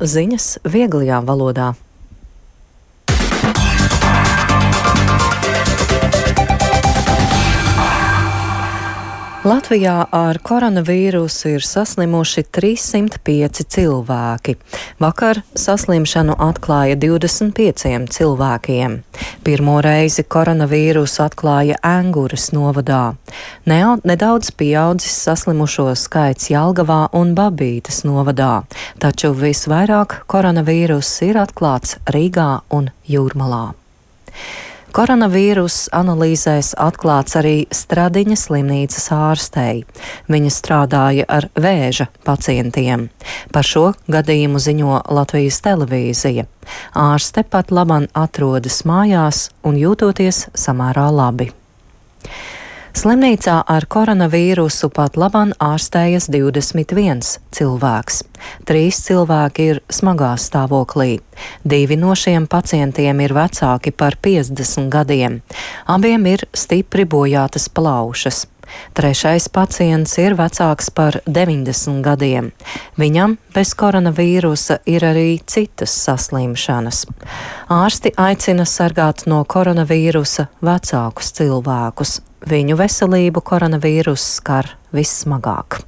Ziņas vieglajā valodā. Latvijā ar koronavīrusu ir saslimuši 305 cilvēki. Vakar saslimšanu atklāja 25 cilvēkiem. Pirmo reizi koronavīrusu atklāja Enguras novadā. Nedaudz pieaudzis saslimušo skaits Jelgavā un Babītes novadā, taču visvairāk koronavīruss ir atklāts Rīgā un Jūrmalā. Koronavīruss analīzēs atklāts arī Stradiņa slimnīcas ārstei. Viņa strādāja ar vēža pacientiem. Par šo gadījumu ziņo Latvijas televīzija. Ārste pat laban atrodas mājās un jūtoties samērā labi. Slimnīcā ar koronavīrusu pat laban ārstējas 21 cilvēks. 3 cilvēki ir smagā stāvoklī. 2 no šiem pacientiem ir vecāki par 50 gadiem. Abiem ir stipri bojātas plaušas. 3. pacients ir vecāks par 90 gadiem. Viņam bez koronavīrusa ir arī citas saslimšanas. Ārsti aicina sargāt no koronavīrusa vecākus cilvēkus. Viņu veselību koronavīruss skar vissmagāk.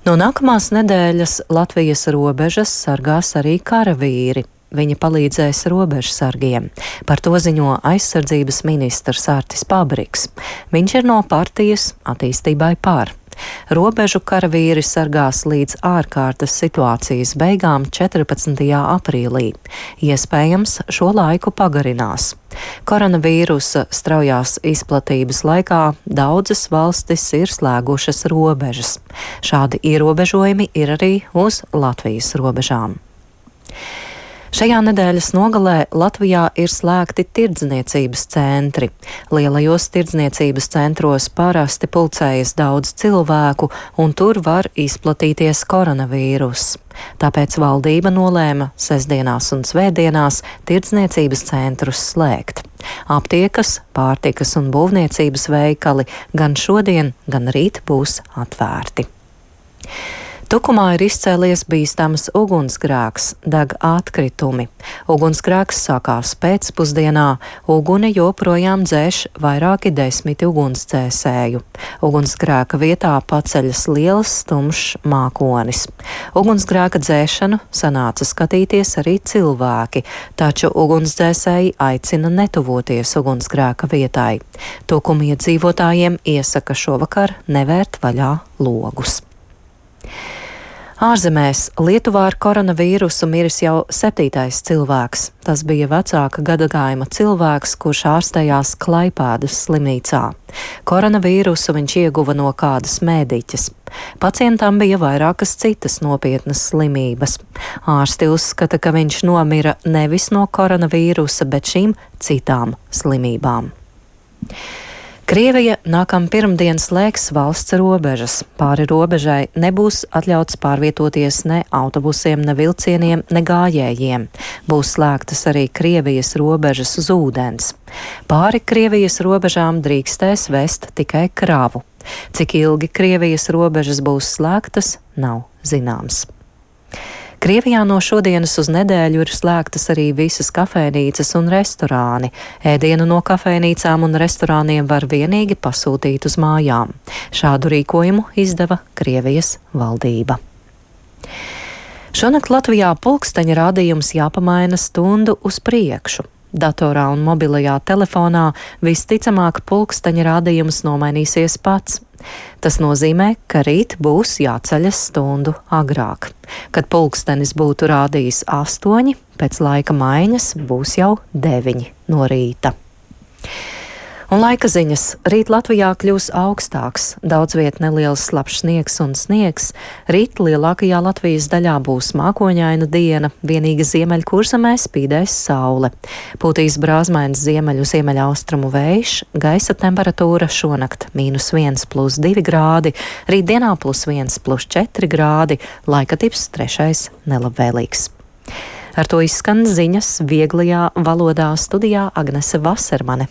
No nākamās nedēļas Latvijas robežas sargās arī karavīri. Viņi palīdzēs robežsargiem. Par to ziņo aizsardzības ministrs Artis Pabriks. Viņš ir no partijas Attīstībai par. Robežu karavīri sargās līdz ārkārtas situācijas beigām 14. aprīlī. Iespējams, šo laiku pagarinās. Koronavīrusa straujās izplatības laikā daudzas valstis ir slēgušas robežas. Šādi ierobežojumi ir arī uz Latvijas robežām. Šajā nedēļas nogalē Latvijā ir slēgti tirdzniecības centri. Lielajos tirdzniecības centros parasti pulcējas daudz cilvēku, un tur var izplatīties koronavīruss. Tāpēc valdība nolēma sestdienās un svētdienās tirdzniecības centrus slēgt. Aptiekas, pārtikas un būvniecības veikali gan šodien, gan rīt būs atvērti. Tukumā ir izcēlies bīstams ugunsgrēks, deg atkritumi. Ugunsgrēks sākās pēcpusdienā, uguni joprojām dzēš vairāki 10 ugunsdzēsēju. Ugunsgrēka vietā paceļas liels tumšs mākonis. Ugunsgrēka dzēšanu sanāca skatīties arī cilvēki, taču ugunsdzēsēji aicina netuvoties ugunsgrēka vietai. Tukuma iedzīvotājiem iesaka šovakar nevērt vaļā logus. Ārzemēs Lietuvā ar koronavīrusu miris jau 7. cilvēks. Tas bija vecāka gadagājuma cilvēks, kurš ārstējās Klaipēdas slimnīcā. Koronavīrusu viņš ieguva no kādas mēdīķes. Pacientam bija vairākas citas nopietnas slimības. Ārsti uzskata, ka viņš nomira nevis no koronavīrusa, bet šīm citām slimībām. Krievija nākamā pirmdiena slēgs valsts robežas. Pāri robežai nebūs atļauts pārvietoties ne autobusiem, ne vilcieniem, ne gājējiem. Būs slēgtas arī Krievijas robežas uz ūdens. Pāri Krievijas robežām drīkstēs vest tikai kravu. Cik ilgi Krievijas robežas būs slēgtas, nav zināms. Krievijā no šodienas uz nedēļu ir slēgtas arī visas kafejnīcas un restorāni. Ēdienu no kafejnīcām un restorāniem var vienīgi pasūtīt uz mājām. Šādu rīkojumu izdeva Krievijas valdība. Šonakt Latvijā pulksteņa rādījums jāpamaina stundu uz priekšu. Datorā un mobilajā telefonā visticamāk pulksteņa rādījums nomainīsies pats. Tas nozīmē, ka rīt būs jāceļas stundu agrāk. Kad pulkstenis būtu rādījis 8, pēc laika maiņas būs jau 9 no rīta. Un laika ziņas. Rīt Latvijā kļūs augstāks, daudz viet neliels slapjš sniegs un sniegs. Rīt lielākajā Latvijas daļā būs mākoņaina diena, vienīgi ziemeļkurzemē spīdēs saule. Pūtīs brāzmains ziemeļaustrumu vējš, gaisa temperatūra šonakt -1 + 2 grādi, rītdienā +1 + 4 grādi, laika tips 3. nelabvēlīgs. Ar to izskan ziņas vieglajā valodā, studijā Agnese Vasermane.